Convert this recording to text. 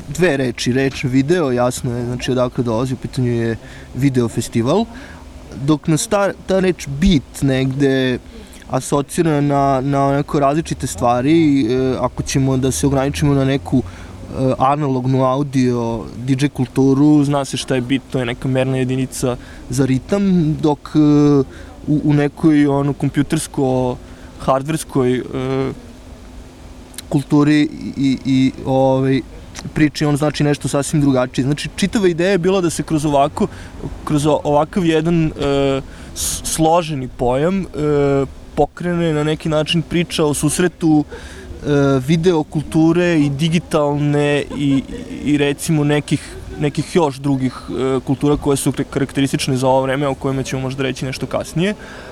dve reči, reč video, jasno je, znači odakle dolazi, u pitanju je video festival, dok nas ta reč beat negde asocira na neko različite stvari, ako ćemo da se ograničimo na neku analognu audio DJ kulturu, zna se šta je beat, to je neka merna jedinica za ritam, dok u nekoj kompjutersko hardverskoj kulturi i priči on znači nešto sasvim drugačije. Znači, čitava ideja je bila da se kroz ovakav jedan složeni pojam pokrene na neki način priča o susretu video kulture i digitalne i recimo nekih još drugih kultura koje su karakteristične za ovo vreme, o kojima ćemo možda reći nešto kasnije.